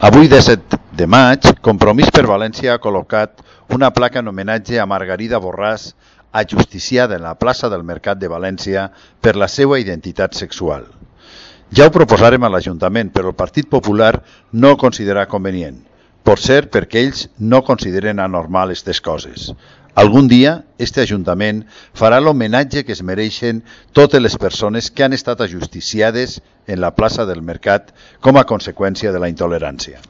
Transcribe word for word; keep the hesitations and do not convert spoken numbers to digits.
Avui, disset de maig, Compromís per València ha col·locat una placa en homenatge a Margarida Borràs, ajusticiada en la plaça del Mercat de València per la seva identitat sexual. Ja ho proposàrem a l'Ajuntament, però el Partit Popular no ho considera convenient. Potser perquè ells no consideren anormal aquestes coses. Algun dia, este Ajuntament farà l'homenatge que es mereixen totes les persones que han estat ajusticiades en la plaça del Mercat com a conseqüència de la intolerància.